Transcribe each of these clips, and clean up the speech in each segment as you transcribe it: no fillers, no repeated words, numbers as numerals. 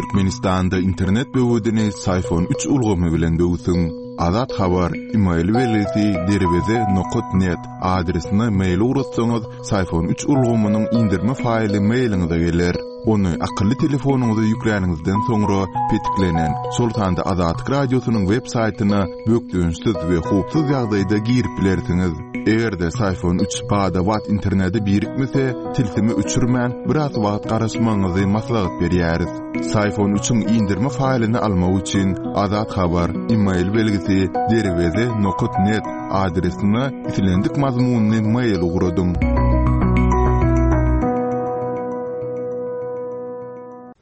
Türkmenistanda internet böwedini Syfon üç ulgamy bilen böwsüň. Azat Habar, email belgisi derweze nokat net adresine mail ugratsaňyz, Syfon üç ulgamynyň indirme faýly mailiňize geler. Ony akylly telefonyňyza ýükläniňizden soňra petiklenen, şol sanda Azatlyk Radiosynyň web saýtyna bökdençsiz we howpsuz ýagdaýda girip bilersiňiz. Eger-de Syfon üç bada-bat internete birikmese, tilsimi öçürmän, biraz wagt garaşmagyňyzy maslahat berýäris. Syfon üçiň indirme faýlyny almak üçin Azat Habar, email belgisi derweze nokat net adresine islendik mazmunly mail ugradyň.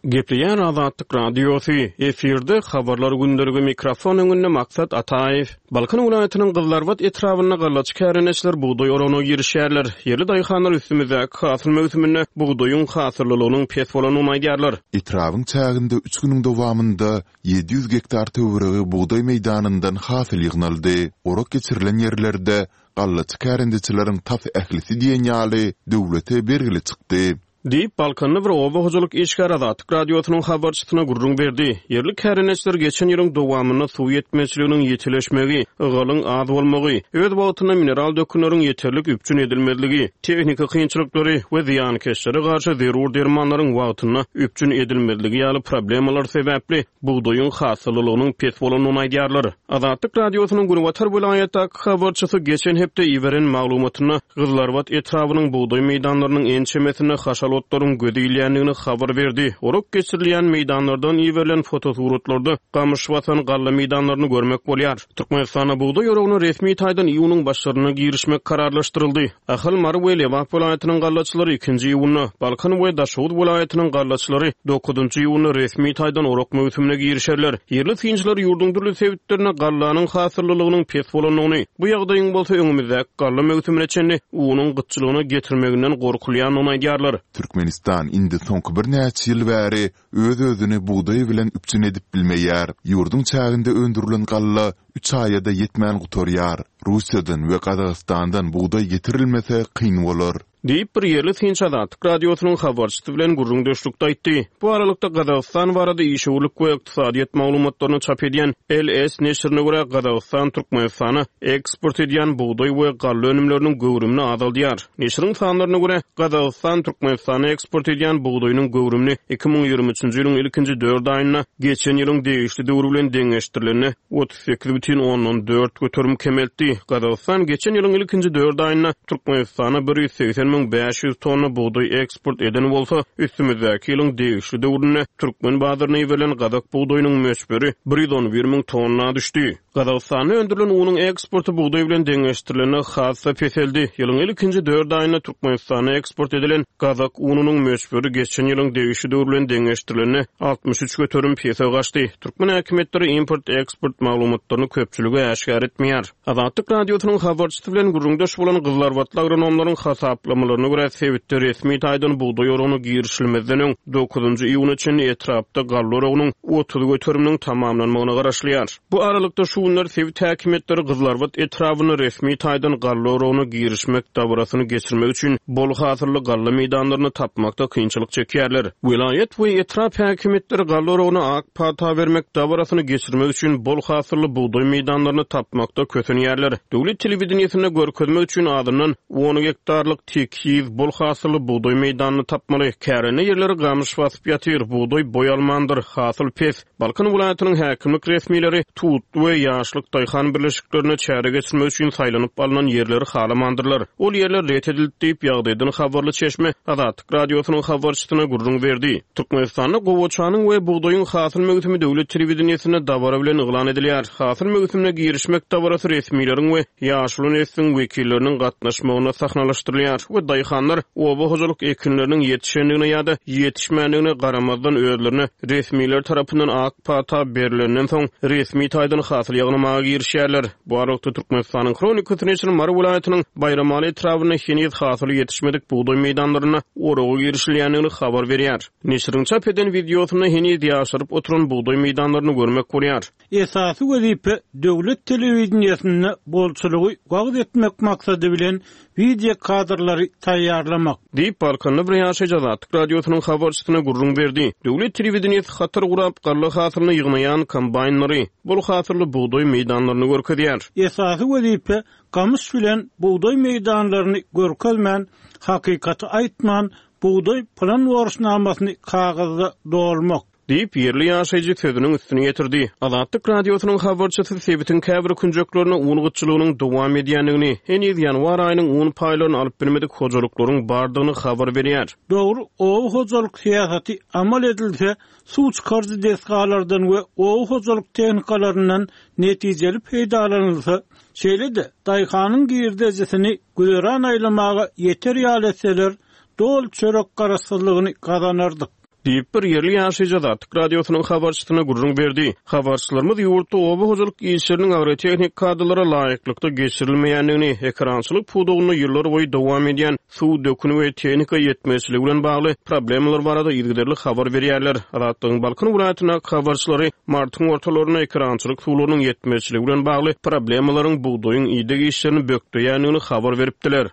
Gepleýär Azatlyk Radiosy, efirde Habarlar gündeligi mikrofon öňünde Maksat Ataýew. Balkan welaýatynyň Gyzylarbat etrabynda gallaçy kärendeçiler bugdaý oragyna girişýärler. Ýerli daýhanlar üstümizdäki hasyl möwsüminde bugdaýyň hasyllylygynyň pes bolandygyny aýdýarlar. Etrabyň çäginde üç günüň dowamynda 700 gektar töweregi bugdaý meýdanyndan hasyl ýygnaldy. Orak geçirilen ýerlerde gallaçy kärendeçileriň tas ählisi diýen ýaly döwlete bergili çykdy. Diýip, balkanly bir oba hojalyk işgäri Azatlyk Radiosynyň habarçysyna gürrüň berdi. Ýerli kärendeçiler geçen ýylyň dowamynda suw ýetmezçiliginiň ýitileşmegi, ygalyň az bolmagy, öz wagtynda mineral dökünleriň ýeterlik üpjün edilmezligi, tehniki kynçylyklary we zyýankeşlere garşy zerur dermanlaryň wagtynda üpjün edilmezligi ýaly problemalar sebäpli bugdaýyň hasyllylygynyň pes bolandygyny aýdýarlar. Azatlyk Radiosynyň günbatar welaýatdaky habarçysy geçen hepde iberen maglumatynda Gyzylarbat etrabynyň bugdaý meýdanlarynyň ençemesinde haşal otlaryň göze ilýändigini habar berdi. Orak geçirilýän meýdanlardan iberilen fotosuratlarda gamyş basan galla meýdanlaryny görmek bolýar. Türkmenistanda bugdaý oragyna resmi taýdan iýunyň başlarynda girişmek kararlaşdyryldy. Ahal, Mary we Lebap welaýatynyň gallaçylary ikinji iýunda, Balkan we Daşoguz welaýatynyň gallaçylary dokuzynjy iýunda resmi taýdan orak möwsümine girişerler. Ýerli synçylar ýurduň dürli sebitlerinde gallanyň hasyllylygynyň pes bolandygyny, bu ýagdaýyň bolsa öňümizdäki galla möwsümine çenli unuň gytçylygyna getirmeginden gorkulýandygyny aýdýarlar. Türkmenistan indi soňky birnäçe ýyl bäri öz-özüni bugdaý bilen üpjün edip bilmeýär. Ýurduň çäginde öndürilen galla üç aýa-da ýetmän gutarýar. Russiýadan we Gazagystandan bugdaý getirilmese kyn bolar. Diýip, bir ýerli synçy Azatlyk Radiosynyň habarçysy bilen gürrüňdeşlikde aýtdy. Bu aralykda, Gazagystan barada işewürlik we ykdysadyýet maglumatlaryny çap edýän LS neşirine görä, Gazagystan Türkmenistana eksport edýän bugdaý we galla önümleriniň göwrümini azaldýar. Neşiriň sanlaryna görä, Gazagystan Türkmenistana eksport edýän bugdaýynyň göwrümini 2023-nji ýylyň ilkinji dört aýynda geçen ýylyň degişli döwri bilen deňeşdirilende 38,4% kemeltdi. Gazagystan geçen ýylyň ilkinji dört aýynda Türkmenistana 180 500 tonna bugdaý eksport eden bolsa, üstümizdäki ýylyň degişli döwründe türkmen bazaryna iberilen gazak bugdaýynyň möçberi 111 müň tonna düşdi. Gazagystanda öndürilen unuň eksporty bugdaý bilen deňeşdirilende has-da peseldi. Ýylyň ilkinji dört aýynda Türkmenistana eksport edilen gazak ununyň möçberi geçen ýylyň degişli döwri bilen deňeşdirilende 63% pese gaçdy. Türkmen häkimiýetleri import-eksport maglumatlaryny köpçülige äşgär etmeýär. Azatlyk Radiosynyň habarçysy bilen gürrüňdeş bolan gyzylarbatly agronomlaryň hasaplamalaryna görä, sebitde resmi taýdan bugdaý oragyna girişilmezden öň, dokuzynjy iýuna çenli etrapda galla oragynyň 30 göteriminiň tamamlanmagyna garaşylýar. Bu aralykda, şu günler sebit häkimiýetleri Gyzylarbat etrabynda resmi taýdan galla oragyna girişmek dabarasyny geçirmek üçin bol hasylly galla meýdanlaryny tapmakda kynçylyk çekýärler. Welaýat we etrap häkimiýetleri galla oragyna ak pata bermek dabarasyny geçirmek üçin bol hasylly bugdaý meýdanlaryny tapmakda kösenýärler. Döwlet telewideniýesinde görkezmek üçin azyndan on gektarlyk tekiz, bol hasylly bugdaý meýdanyny tapmaly. Kärende ýerleri gamyş basyp ýatyr, bugdaý boý almandyr, hasyl pes. Balkan welaýatynyň häkimlik resmileri Tutly we Ýaşlyk daýhan birleşiklerinde çäre geçirmek üçin saýlanyp alnan ýerleri halamandyrlar. Ol ýerler ret edildi diýip, ýagdaýdan habarly çeşme Azatlyk Radiosynyň habarçysyna gürrüň berdi. Türkmenistanda gowaçanyň we bugdaýyň hasyl möwsümi döwlet telewideniýesinde dabara bilen yglan edilýär. Hasyl möwsümine girişmek dabarasy resmileriň we ýaşuly nesliň wekilleriniň gatnaşmagynda sahnalaşdyrylýar we daýhanlar oba hojalyk ekinleriniň ýetişendigine ýa-da ýetişmändigine garamazdan özlerine resmiler tarapyndan ak pata berlenden soň resmi taýdan hasyl ýygnamaga girişýärler. Bu aralykda Türkmenistanyň Hronikasy neşiri Mary welaýatynyň Baýramaly etrabynda heniz hasyly ýetişmedik bugdaý meýdanlarynda oraga girişilýändigini habar berýär. Neşiriň çap eden wideosynda heniz ýaşaryp oturan bugdaý meýdanlaryny görmek bolýar. Esasy wezipe döwlet telewideniýesinde bolçulygy wagyz etmek maksady bilen. Wideo kadrlary taýýarlamak. Diýip, Balkanda bir ýaşaýjy Azatlyk Radiosynyň habarçysyna gürrüň berdi. Döwlet telewideniýesi hatar gurap, galla hasylyny ýygnaýan kombaýnlary, bol hasylly bugdaý meýdanlaryny görkezýär. Esasy wezipe gamyş bilen bugdaý meýdanlaryny görkezmän, hakykaty aýtman, bugdaý plan borçnamasyny kagyzda dolmak. Diýip, ýerli ýaşaýjy sözüniň üstüni ýetirdi. Azatlyk Radiosynyň habarçysy sebitiň käbir künjeklerinde un gytçylygynyň dowam edýändigini, heniz ýanwar aýynyň un paýlaryny alyp bilmedik hojalyklaryň bardygyny habar berýär. Dogry oba hojalyk syýasaty amal edilse, suw çykaryjy desgalardan we oba hojalyk tehnikalaryndan netijeli peýdalanylsa, şeýle-de daýhanyň girdejisini güzeran aýlamaga ýeter ýaly etseler, doly çörek garaşsyzlygyny gazanardyk. Diýip, bir ýerli ýaşaýjy Azatlyk Radiosynyň habarçysyna gürrüň berdi. Habarçylarymyz ýurtda oba hojalyk işleriniň agrotehnik kadalara laýyklykda geçirilmeýändigini, ekerançylyk pudagynda ýyllarboýy dowam edýän suw, dökün we tehnika ýetmezçiligi bilen bagly problemalar barada yzygiderli habar berýärler. Azatlygyň Balkan welaýatyndaky habarçylary martyň ortalarynda ekerançylyk suwlarynyň ýetmezçiligi bilen bagly problemalaryň bugdaýyň ideg işlerini bökdeýändigini habar beripdiler.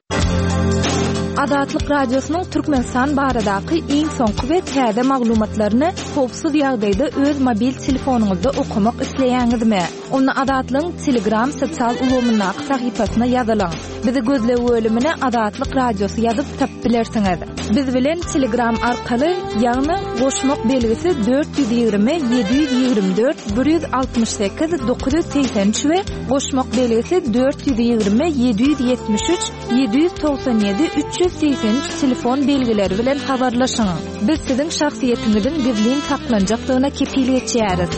Azatlyk Radiosynyň Türkmenistan baradaky iň soňky we täze maglumatlaryny howpsuz ýagdaýda öz mobil telefonyňyzda okamak isleýäňizmi? Onda Azatlygyň Telegram sosial ulgamyndaky sahypasyna ýazylyň. Bizi gözleg bölümine Azatlyk Radiosy ýazyp tapyp bilersiňiz. Biz bilen Telegram arkaly, ýagny goşmak belgisi 420 724 168 983 we goşmak belgisi 420 773 797 383 telefon belgileri bilen habarlaşyň. Biz siziň şahsyýetiňiziň gizlin saklanjakdygyna kepil geçýäris.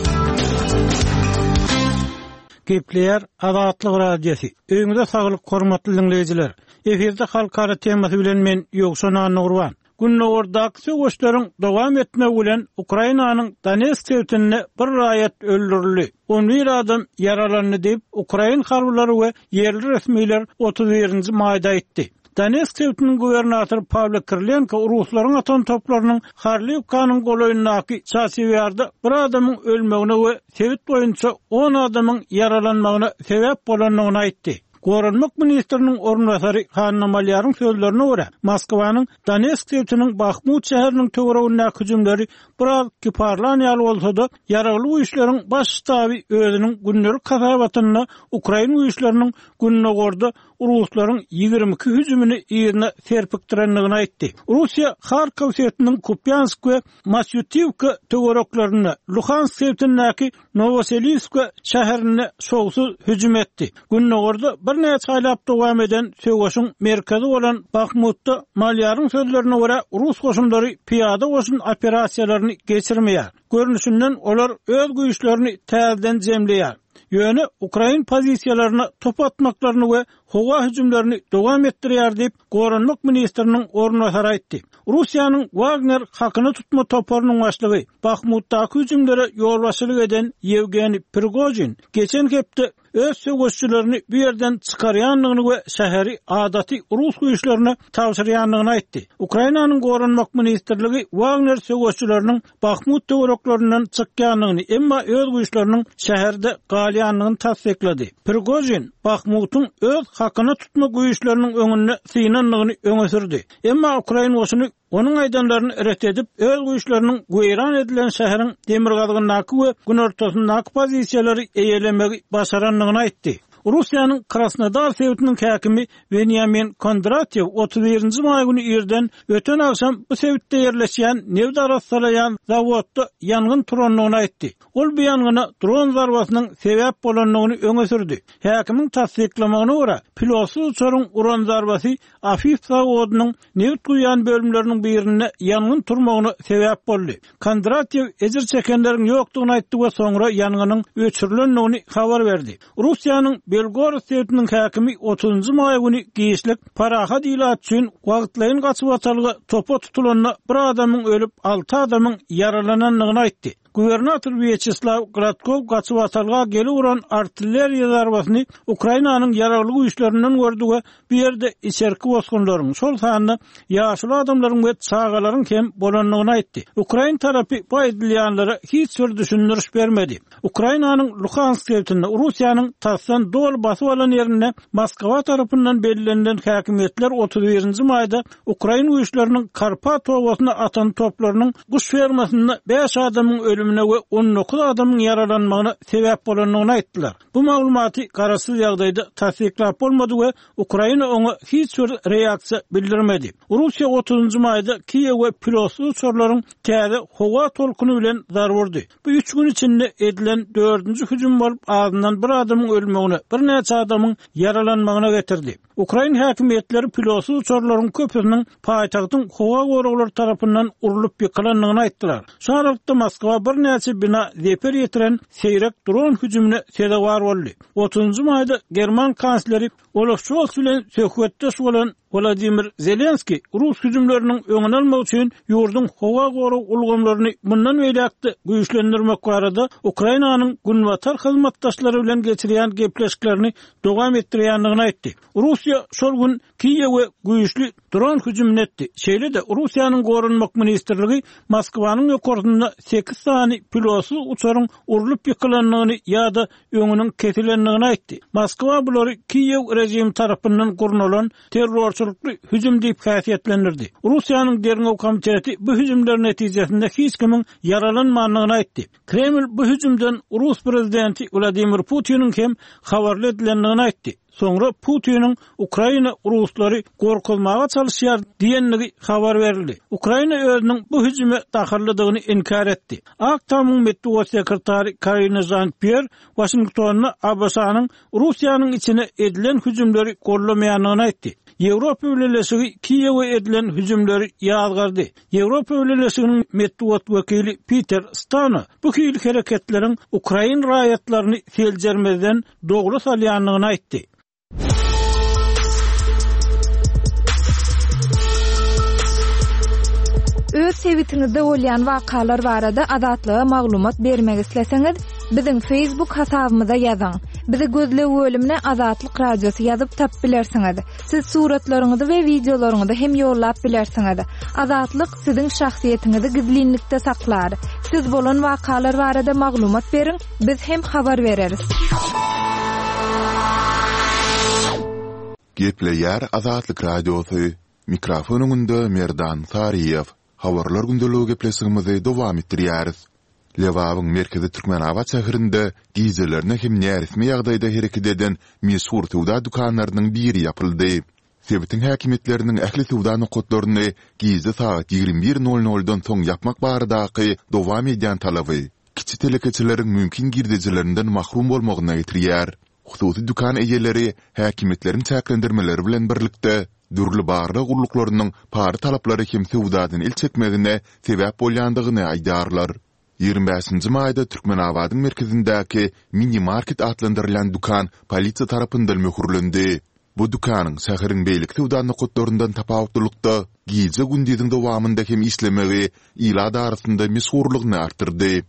Gepleýär Azatlyk Radiosy. Öýüňize saglyk hormatly diňleýjiler. Efirde halkara temasy bilen men Ýowşan Annagurban. Gündogardaky söweşleriň dowam etmegi bilen Ukrainanyň Donetsk sebitinde bir raýat öldürildi, on bir adam ýaralandy diýip, ukrain harbylary we ýerli resmiler 31 nji maýda aýtdy. Donetsk sebitiniň gubernatory Pawlo Kirilenko ruslaryň atan toplarynyň Horliwkanyň golaýyndaky Çasiw Ýarda bir adamyň ölmegine we sebit boýunça on adamyň ýaralanmagyna sebäp bolandygyny aýtdy. Goranmak ministriniň orunbasary Hanna Malýaryň sözlerine görä, Moskwanyň Donetsk sebitiniň Bahmut şäheriniň töweregindäki hüjümleri biraz kiparlan ýaly bolsa-da, Ýaragly Güýçleriň Baş ştaby özüniň gündelik hasabatynda ukrain güýçleriniň gündogarda ruslaryň 22 hüjümini yzyna serpikdirendigini aýtdy. Russiýa Harkow sebitiniň Kupýansk we Masýutiwka töwereklerinde, Luhansk sebitindäki Nowoseliwska şäherinde şowsuz hüjüm etdi. Gündogarda birnäçe aýlap dowam eden söweşiň merkezi bolan Bahmutda, Malýaryň sözlerine görä, rus goşunlary pyýada goşun operasiýalaryny geçirmeýär. Görnüşinden, olar öz güýçlerini täzeden jemleýär. Ýöne ukrain pozisiýalaryna top atmaklaryny we howa hüjümlerini dowam etdirýär diýip, goranmak ministriniň orunbasary aýtdy. Russiýanyň Wagner hakyna tutma toparynyň başlygy, Bahmutdaky hüjümlere ýolbaşçylyk eden Ýewgeniý Prigožin geçen hepde öz söweşçilerini bu ýerden çykarýandygyny we şäheri adaty rus güýçlerine tabşyrýandygyny aýtdy. Ukrainanyň Goranmak ministrligi Wagner söweşçileriniň Bahmut töwereklerinden çykýandygyny, emma öz güýçleriniň şäherde galýandygyny tassyklady. Prigožin Bahmutyň öz hakyna tutma güýçleriniň öňünde synandygyny öňe sürdi. Emma ukrain goşuny onuň aýdanlaryny ret edip, öz güýçleriniň weýran edilen şäheriň demirgazygyndaky we günortasyndaky pozisiýalary eýelemegi başarandygyny aýtdy. Russiýanyň Krasnodar sebitiniň häkimi Weniamin Kondratýew 31 nji maý güni irden öten agşam bu sebitde ýerleşýän nebit arassalaýan zawodda ýangyn turandygyny aýtdy. Ol bu ýangyna dron zarbasynyň sebäp bolandygyny öňe sürdi. Häkimiň tassyklamagyna görä, pilotsyz uçaryň uran zarbasy Afif zawodynyň nebit guýýan bölümleriniň birinde ýangyn turmagyna sebäp boldy. Kondratýew ejir çekenleriň ýokdugyny aýtdy we soňra ýangynyň öçürilendigini habar berdi. Russiýanyň Belgorod sebitiniň häkimi otuzynjy maý güni giçlik parahat ilat üçin wagtlaýyn gaçybatalga topa tutulanda bir adamyň ölüp, alty adamyň ýaralanandygyny aýtdy. Gubernator Wýaçeslaw Gladkow gaçybatalga gelip uran artilleriýa zarbasyny Ukrainanyň Ýaragly Güýçlerinden gördi we bu ýerde içerki bosgunlaryň, şol sanda ýaşuly adamlaryň we çagalaryň hem bolandygyny aýtdy. Ukrain tarapy bu aýdylýanlara hiç bir düşündiriş bermedi. Ukrainanyň Luhansk sebitinde Russiýanyň tasdan doly basyp alan ýerinde Moskwa tarapyndan bellenilen häkimiýetler 31 nji maýda ukrain güýçleriniň Karpat obasyna atan toplarynyň guş fermasynda bäş adamyň ölümine we 19 adamyň ýaralanmagyna sebäp bolandygyny aýtdylar. Bu maglumaty garaşsyz ýagdaýda tassyklap bolmady we Ukraina oňa hiç bir reaksiýa bildirmedi. Russiýa otuzynjy maýda Kiýewe pilotsyz uçarlaryň täze howa tolkuny bilen zarba urdy. Bu üç gün içinde edilen dördünji hüjüm bolup, azyndan bir adamyň ölmegine, birnäçe adamyň ýaralanmagyna getirdi. Ukrain häkimiýetleri pilotsyz uçarlaryň köpüsiniň paýtagtyň howa goraglary tarapyndan urlup ýykylandygyny aýtdylar. Şu aralykda Moskwa birnäçe bina zeper ýetiren seýrek dron hüjümine sezewar boldy. Otuzynjy maýda german kansleri Olaf Şols bilen söhbetdeş bolan Wladimir Zelenskiý rus hüjümleriniň öňüni almak üçin ýurduň howa gorag ulgamlaryny mundan beýläk-de güýçlendirmek barada Ukrainanyň günbatar hyzmatdaşlary bilen geçirýän gepleşiklerini dowam etdirýändigini aýtdy. Russiýa şol gün Kiýewe güýçli dron hüjümini etdi. Şeýle-de, Russiýanyň Goranmak ministrligi Moskwanyň ýokarsynda sekiz sany pilotsyz uçaryň urlup ýykylandygyny ýa-da öňüniň kesilendigini aýtdy. Moskwa bulary Kiýew režimi tarapyndan gurnalan terrorçylykly hüjüm diýip häsiýetlendirdi. Russiýanyň Derňew komiteti bu hüjümler netijesinde hiç kimiň ýaralanmandygyny aýtdy. Kreml bu hüjümden rus prezidenti Wladimir Putiniň hem habarly edilendigini aýtdy. Soňra Putiniň Ukraina ruslary gorkuzmaga çalyşýar diýendigi habar berildi. Ukraina özüniň bu hüjüme dahyllydygyny inkär etdi. Ak Tamyň metbugat sekretary Karine Žan-Pýer Waşingtonda ABŞ-nyň Russiýanyň içine edilen hüjümleri goldamaýandygyny aýtdy. Ýewropa Bileleşigi Kiýewe edilen hüjümleri ýazgardy. Ýewropa Bileleşiginiň metbugat wekili Piter Stano bu hili hereketleriň ukrain raýatlaryny seljermezden dogry salýandygyny aýtdy. Öz sebitiňizde bolýan wakalar barada Azatlyga maglumat bermek isleseňiz, biziň Facebook hasabymyza ýazyň. Bizi gözleg bölümine Azatlyk Radiosy ýazyp tapyp bilersiňiz. Siz suratlaryňyzy we wideolaryňyzy hem ýollap bilersiňiz. Azatlyk siziň şahsyýetiňizi gizlinlikde saklar. Siz bolan wakalar barada maglumat beriň, biz hem habar bereris. Gepleýär Azatlyk Radiosy, Mikrofon öňünde Merdan Saryýew. Habarlar gündeligi gepleşigimizi dowam etdirýäris. Lebabyň merkezi Türkmenabat şäherinde gijelerine hem näresmi ýagdaýda hereket eden meşhur söwda dükanlarynyň biri ýapyldy. Sebitiň häkimiýetleriniň ähli söwda nokatlaryny gije sagat 21 nol noldan soň ýapmak baradaky dowam edýän talaby kiçi telekeçileriň mümkin girdejilerinden mahrum bolmagyna getirýär. Hususy dükan eýeleri häkimiýetleriň çäklendirmeleri bilen birlikde, dürli barlag gulluklarynyň para talaplary hem söwdadan el çekmegine sebäp bolýandygyny aýdýarlar. 25 nji maýda Türkmenabadyň merkezindäki Mini Market atlandyrylýan dükan polisiýa tarapyndan möhürlendi. Bu dükanyň şäheriň beýleki söwda nokatlaryndan tapawutlylykda, gije-gündiziň dowamynda hem işlemegi ilat arasynda meşhurlygyny artdyrdy.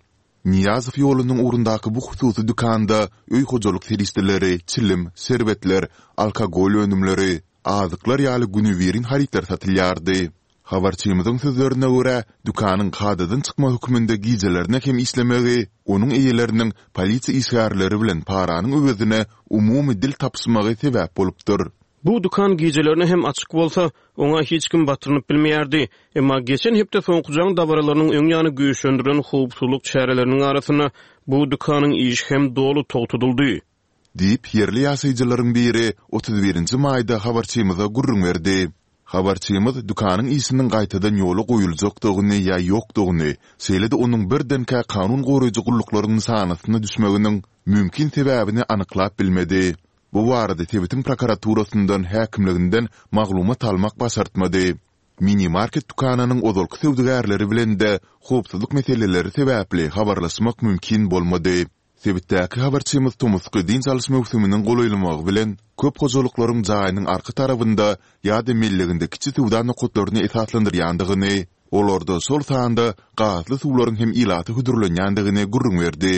Nyýazow ýolunyň ugrundaky bu hususy dükanda öý hojalyk serişdeleri, çilim, şerbetler, alkogol önümleri, azyklar ýaly günübirin harytlar satylýardy. Habarçymyzyň sözlerine görä, dükanyň kadadan çykma hökmünde gijelerine hem işlemegi onuň eýeleriniň polisiýa işgärleri bilen paranyň öwezine umumy dil tapyşmagy sebäp bolupdyr. Bu dükan gijelerine hem açyk bolsa, oňa hiç kim batyrynyp bilmeýärdi. Emma geçen hepde soňky jaň dabaralarynyň öň ýany güýçlendirilen howpsuzlyk çäreleriniň arasynda bu dükanyň işi hem doly togtadyldy. Diýip, ýerli ýaşaýjylaryň biri 31 nji maýda habarçymyza gürrüň berdi. Habarçymyz dükanyň işiniň gaýtadan ýola goýuljakdygyny ýa ýokdugyny, şeýle-de onuň birdenkä kanun goraýjy gulluklaryň nyşanasyna düşmeginiň mümkin sebäbini anyklap bilmedi. Bu barada sebitiň prokuraturasyndan, häkimliginden maglumat almak başartmady. Mini-market dükanynyň ozalky söwdagärleri bilen-de howpsuzlyk meseleleri sebäpli habarlaşmak mümkin bolmady. Sebitdäki habarçymyz tomusky dynç alyş möwsüminiň golaýlamagy bilen, köp hojalyklaryň jaýynyň arka tarabynda ýa-da melleginde kiçi söwda nokatlaryny esaslandyrýandygyny, olarda şol sanda gazly suwlaryň hem ilata hödürlenýändigini gürrüň berdi.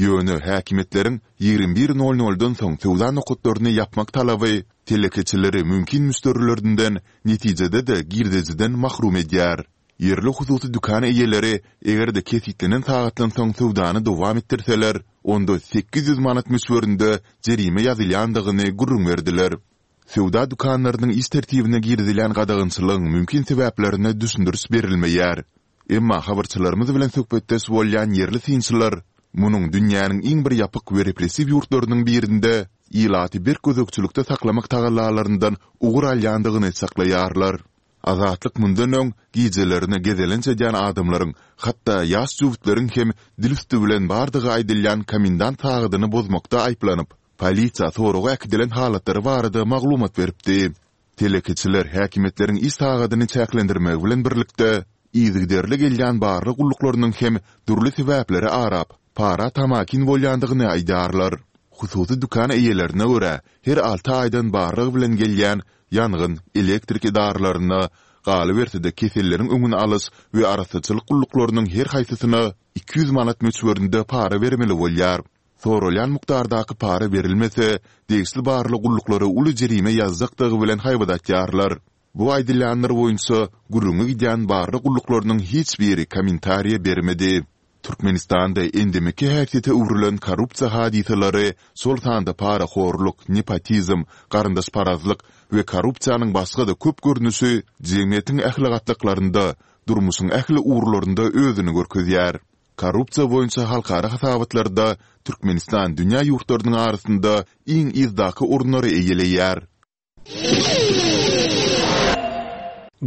Ýöne häkimiýetleriň 21 nol-noldan soň söwda nokatlaryny ýapmak talaby telekeçileri mümkin müşderilerinden, netijede-de girdejiden mahrum edýär. Ýerli hususy dükan eýeleri eger-de kesgitlenen sagatdan soň söwdany dowam etdirseler, onda 800 manat möçberinde jerime ýazylýandygyny gürrüň berdiler. Söwda dükanlarynyň iş tertibine girizilýän gadagançylygyň mümkin sebäplerine düşündiriş berilmeýär. Emma habarçylarymyz bilen söhbetdeş bolýan ýerli synçylar munuň dünýäniň iň bir ýapyk we repressiw ýurtlarynyň birinde ilaty berk gözegçilikde saklamak tagallalaryndan ugur alýandygyny çaklaýarlar. Azatlyk mundan öň gijelerine gezelenç edýän adamlaryň, hatda ýaş jübütleriň hem dil üsti bilen bardygy aýdylýan komendant sagadyny bozmakda aýyplanyp, polisiýa soraga äkidilen halatlary barada maglumat beripdi. Telekeçiler häkimiýetleriň iş sagadyny çäklendirmegi bilen birlikde, yzygiderli gelýän barlag gulluklarynyň hem dürli sebäpleri arap, para tamakin bolýandygyny aýdýarlar. Hususy dükan eýelerine görä, her alty aýdan barlag bilen gelýän ýangyn, elektrik edaralaryna, galyberse-de keselleriň öňüni alyş we arassaçylyk gulluklarynyň her haýsysyna 200 manat möçberinde para bermeli bolýar. Soralýan mukdardaky para berilmese, degişli barlag gulluklary uly jerime ýazjakdygy bilen haýbat atýarlar. Bu aýdylýanlar boýunça gürrüňi gidýän barlag gulluklarynyň hiç biri kommentariýa bermedi. Türkmenistanda endemiki häsiýete öwrülen korrupsiýa hadysalary, şol sanda parahorluk, nepotizm, garyndaşparazlyk we korrupsiýanyň başga-da köp görnüşi jemgyýetiň ähli gatlaklarynda, durmuşyň ähli ugurlarynda özüni görkezýär. Korrupsiýa boýunça halkara hasabatlarda Türkmenistan dünýä ýurtlarynyň arasynda iň yzdaky orunlary eýeleýär.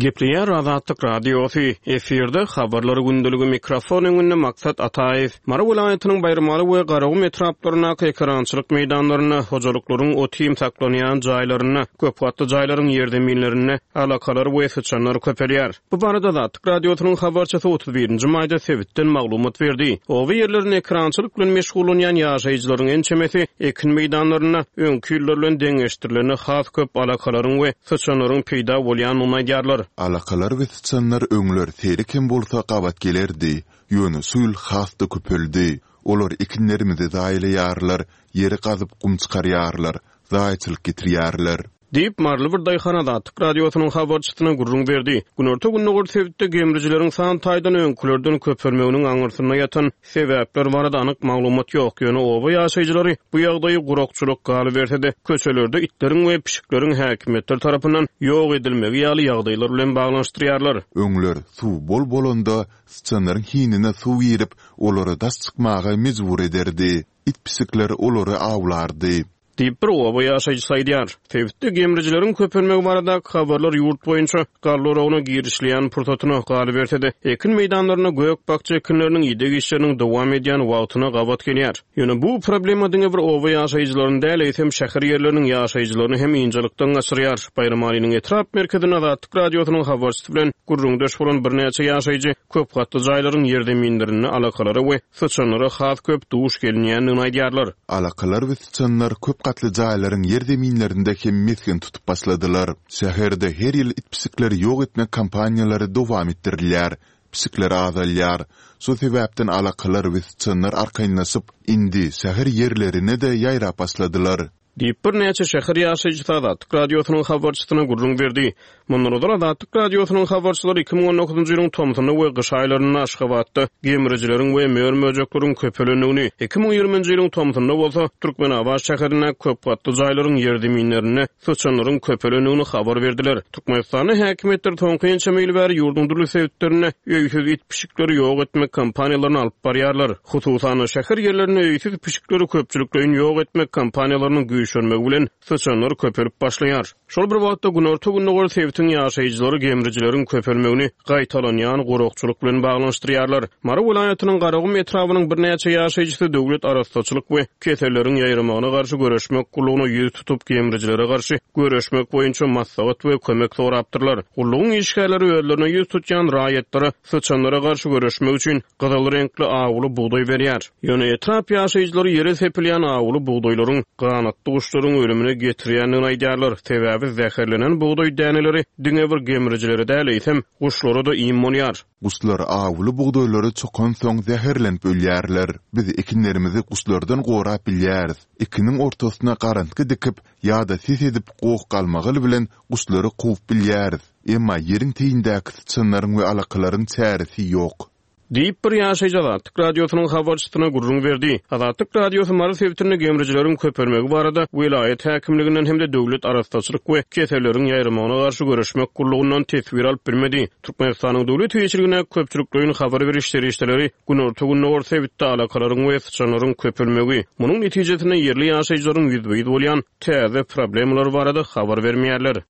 Gepleýär Azatlyk Radiosy, efirde Habarlar gündeligi mikrofon öňünde Maksat Ataýew. Mary welaýatynyň Baýramaly we Garagum etraplaryndaky ekerançylyk meýdanlarynda, hojalyklaryň ot-iým saklanýan jaýlarynda, köpgatly jaýlaryň ýerzeminlerinde alakalar we syçanlar köpelýär. Bu barada Azatlyk Radiosynyň habarçysy 31 nji maýda sebitden maglumat berdi. Oba ýerlerinde ekerançylyk bilen meşgullanýan ýaşaýjylaryň ençemesi ekin meýdanlarynda öňki ýyllar bilen deňeşdirilende has köp alakalaryň we syçanlaryň peýda bolýandygyny aýdýarlar. Alakalar we syçanlar öňler seýrek hem bolsa gabat gelerdi, ýöne şu ýyl has-da köpeldi. Olar ekinlerimizi zaýalaýarlar, ýeri gazyp gum çykarýarlar, zaýaçylyk getirýärler. Diýip, maryly bir daýhan Azatlyk Radiosynyň habarçysyna gürrüň berdi. Günorta-gündogar sebitde gemrijileriň san taýdan öňkülerden köpelmeginiň aňyrsynda ýatan sebäpler barada anyk maglumat ýok, ýöne oba ýaşaýjylary bu ýagdaýy gurakçylyk, galyberse-de, köçelerde itleriň we pişikleriň häkimiýetler tarapyndan ýok edilmegi ýaly ýagdaýlar bilen baglanyşdyrýarlar. Öňler suw bol bolanda, syçanlaryň hinine suw girip, olary daş çykmaga mejbur ederdi. It-pişikler olary awlardy. Diýip, bir oba ýaşaýjysy aýdýar. Sebitde gemrijileriň köpelmegi baradaky habarlar ýurt boýunça galla oragyna girişilýän pursatyna, galyberse-de, ekin meýdanlarynda gök-bakja ekinleriniň ideg işleriniň dowam edýän wagtyna gabat gelýär. Ýöne bu problema diňe bir oba ýaşaýjylaryny däl, eýsem, şäher ýerleriniň ýaşaýjylaryny hem ynjalykdan gaçyrýar. Baýramalynyň etrap merkezinde Azatlyk Radiosynyň habarçysy bilen gürrüňdeş bolan birnäçe ýaşaýjy köp gatly jaýlaryň ýerzeminlerinde alakalara we syçanlara has köp duş gelinýändigini aýdýarlar. Alakalar we syçanlar köp gatly jaýlaryň ýerzeminlerinde hem mesgen tutup başladylar. Şäherde her ýyl it-pişikleri ýok etmek kampaniýalary dowam etdirilýär, pişikler azalýar. Şo sebäpden alakalar we syçanlar arkaýynlaşyp, indi şäher ýerlerine-de ýaýrap başladylar. Diýip, birnäçe şäher ýaşaýjysy Azatlyk Radiosynyň habarçysyna gürrüň berdi. Mundan ozal Azatlyk Radiosynyň habarçylary 2019-njy ýylyň tomsunda we gyş aýlarynda Aşgabatda gemrijileriň we mör-möjekleriň köpelendigini, 2020-nji ýylyň tomsunda bolsa Türkmenabat şäherindäki köp gatly jaýlaryň ýerzeminlerinde syçanlaryň köpelendigini habar berdiler. Türkmenistanda häkimiýetler soňky ençeme ýyl bäri ýurduň dürli sebitlerinde öýsüz it-pişikleri ýok etmek kampaniýalaryny alyp barýarlar. Hususan-da, şäher ýerlerinde öýsüz pişikleri köpçülikleýin ýok etmek kampaniýalarynyň güýçlenmegi bilen syçanlar köpelip başlaýar. Şol bir wagtda, günorta-gündogar sebitiň ýaşaýjylary gemrijileriň köpelmegini gaýtalanýan gurakçylyk bilen baglanyşdyrýarlar. Mary welaýatynyň Garagum etrabynyň birnäçe ýaşaýjysy döwlet arassaçylyk we keselleriň ýaýramagyna garşy göreşmek gullugyna ýüz tutup, gemrijilere garşy göreşmek boýunça maslahat we kömek sorapdyrlar. Gullugyň işgärleri özlerine ýüz tutýan raýatlara syçanlara garşy göreşmek üçin gyzyl reňkli awuly bugdaý berýär. Ýöne etrap ýaşaýjylary ýere sepilýän awuly bugdaýlaryň ganatly. guşlaryň ölümine getirýändigini aýdýarlar. Sebäbi zäherlenen bugdaý däneleri diňe bir gemrijilere däl, eýsem, guşlara-da iým bolýar. Guşlar awuly bugdaýlary çokansoň zäherlenip ölýärler. Biz ekinlerimizi guşlardan gorap bilýäris. Ekiniň ortasyna garantgy dikip ýa-da ses edip goh-galmagal bilen guşlary kowup bilýäris. Emma ýeriň teýindäki syçanlaryň we alakalaryň çäresi ýok. Diýip, bir ýaşaýjy Azatlyk Radiosynyň habarçysyna gürrüň berdi. Azatlyk Radiosy Mary sebitinde gemrijileriň köpelmegi barada welaýat häkimliginden hem-de Döwlet arassaçylyk we keselleriň ýaýramagyna garşy göreşmek gullugyndan teswir alyp bilmedi. Türkmenistanyň döwlet eýeçiligindäki köpçülikleýin habar beriş serişdeleri günorta-gündogar sebitde alakalaryň we syçanlaryň köpelmegi, munuň netijesinde ýerli ýaşaýjylaryň ýüzbe-ýüz bolýan täze problemalary barada habar bermeýärler.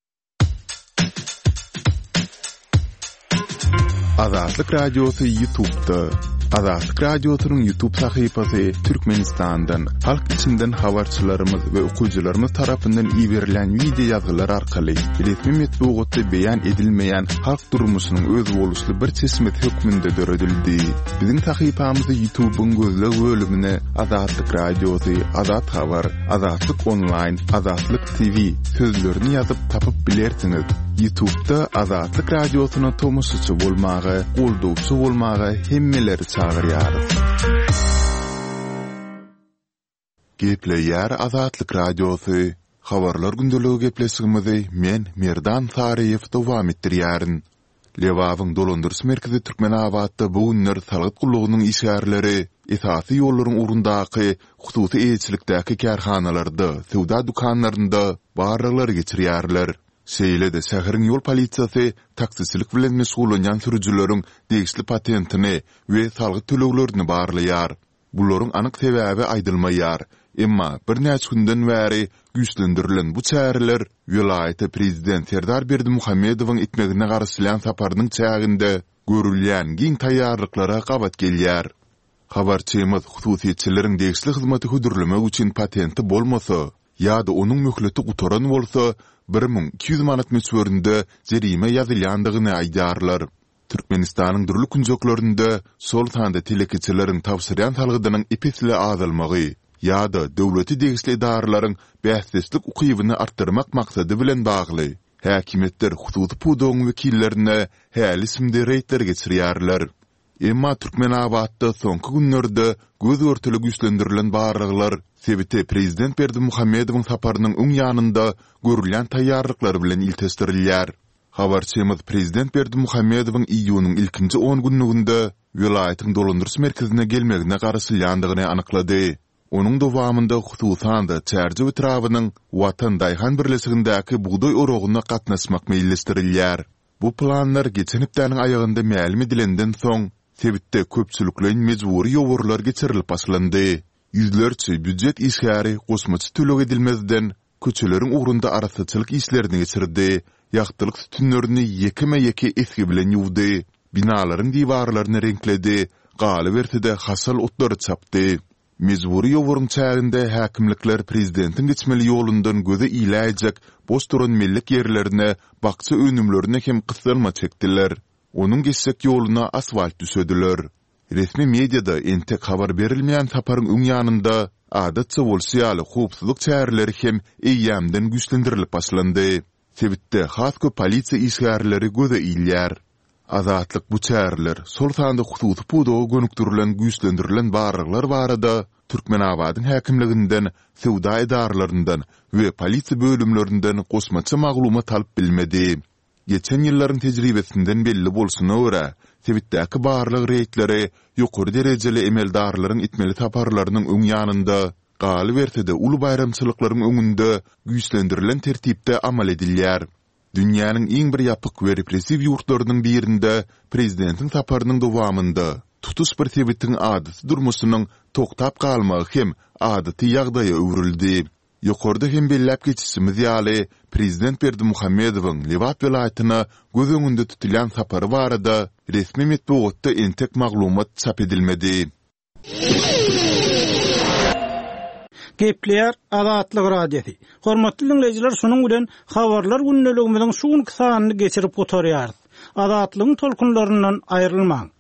Azatlyk Radiosy YouTube'da. Azatlyk Radiosynyň YouTube sahypasy Türkmenistandan, halk içinden habarçylarymyz we okyjylarymyz tarapyndan iberilen wideo ýazgylar arkaly resmi metbugatda beýan edilmeýän halk durmuşynyň özboluşly bir çeşmesi hökmünde döredildi. Biziň sahypamyzy YouTube'yň gözleg bölümine Azatlyk Radiosy, Azat Habar, Azatlyk Onlaýn, Azatlyk TV sözlerini ýazyp tapyp bilersiňiz. Ýutubda Azatlyk Radiosyna tomaşaçy bolmaga, goldawçy bolmaga hemmeleri çagyrýarys. Gepleýär Azatlyk Radiosy, Habarlar gündeligi gepleşigimizi men Merdan Saryýew dowam etdirýärin. Lebabyň dolandyryş merkezi Türkmenabatda bu günler salgyt gullugynyň işgärleri esasy ýollaryň ugrundaky hususy eýeçilikdäki kärhanalarda, söwda dükanlarynda barlaglary geçirýärler. Şeýle-de şäheriň ýol polisiýasy taksiçilik bilen meşgullanýan sürüjileriň degişli patentini we salgyt töleglerini barlaýar. Bularyň anyk sebäbi aýdylmaýar. Emma birnäçe günden bäri güýçlendirilen bu çäreler welaýata prezident Serdar Berdimuhamedowyň etmegine garaşylýan saparynyň çäginde görülýän giň taýýarlyklara gabat gelýär. Habarçymyz hususyýetçileriň degişli hyzmaty hödürlemek üçin patenti bolmasa ýa-da onuň möhleti gutaran bolsa, 1200 manat möçberinde jerime ýazylýandygyny aýdýarlar. Türkmenistanyň dürli künjeklerinde, şol sanda telekeçileriň tabşyrýan salgydynyň ep-esli azalmagy ýa-da döwlete degişli edaralaryň bäsdeşlik ukybyny artdyrmak maksady bilen bagly, häkimiýetler hususy pudagyň wekillerine häli-şindi reýdler geçirýärler. Emma Türkmenabatda soňky günlerde göz-görtele güýçlendirilen barlaglar sebite prezident Berdimuhamedowyň saparynyň öň ýanynda görülýän taýýarlyklar bilen ilteşdirilýär. Habarçymyz prezident Berdimuhamedowyň iýunyň ilkinji on günlüginde welaýatyň dolandyryş merkezine gelmegine garaşylýandygyny anyklady. Onuň dowamynda hususan-da Çärjew etrabynyň Watan daýhan birleşigindäki bugdaý oragyna gatnaşmak meýilleşdirilýär. Bu planlar geçen hepdäniň aýagynda mälim edilenden soň, sebitde köpçülikleýin mejbury ýowarlar geçirilip başlandy. Ýüzlerçe býujet işgäri goşmaça töleg edilmezden, köçeleriň ugrunda arassaçylyk işlerini geçirdi, ýagtylyk sütünlerini ýekeme-ýeke esgi bilen ýuwdy, binalaryň diwarlaryny reňkledi, galyberse-de haşal otlary çapdy. Mejbury ýowaryň çäginde häkimlikler prezidentiň geçmeli ýolundan göze iläýjek boş duran mellek ýerlerine bakja önümlerini hem gyssanma çekdiler. Onuň geçjek ýoluna asfalt düşediler. Resmi mediada entek habar berilmeýän saparyň öň ýanynda, adatça bolşy ýaly howpsuzlyk çäreleri hem eýýämden güýçlendirilip başlandy. Sebitde has köp polisiýa işgärleri göze ilýär. Azatlyk bu çäreler, şol sanda hususy pudaga gönükdirilen güýçlendirilen barlaglar barada Türkmenabadyň häkimliginden, söwda edaralaryndan we polisiýa bölümlerinden goşmaça maglumat alyp bilmedi. Geçen ýyllaryň tejribesinden belli bolşuna görä, sebitdäki barlag reýdleri ýokary derejeli emeldarlaryň etmeli saparlarynyň öň ýanynda, galyberse-de uly baýramçylyklaryň öňünde güýçlendirilen tertipde amal edilýär. Dünýäniň iň bir ýapyk we repressiw ýurtlarynyň birinde prezidentiň saparynyň dowamynda tutuş bir sebitiň adaty durmuşynyň togtap galmagy hem adaty ýagdaýa öwrüldi. Ýokarda hem belläp geçişimiz ýaly, prezident Berdimuhamedowyň Lebap welaýatyna göz öňünde tutulýan sapary barada resmi metbugatda entek maglumat çap edilmedi. Gepleýär Azatlyk Radiosy. Hormatly diňleýjiler, şunuň bilen Habarlar gündeligimiziň şu günki sanyny geçirip gutarýarys. Azatlygyň tolkunlaryndan aýrylmaň!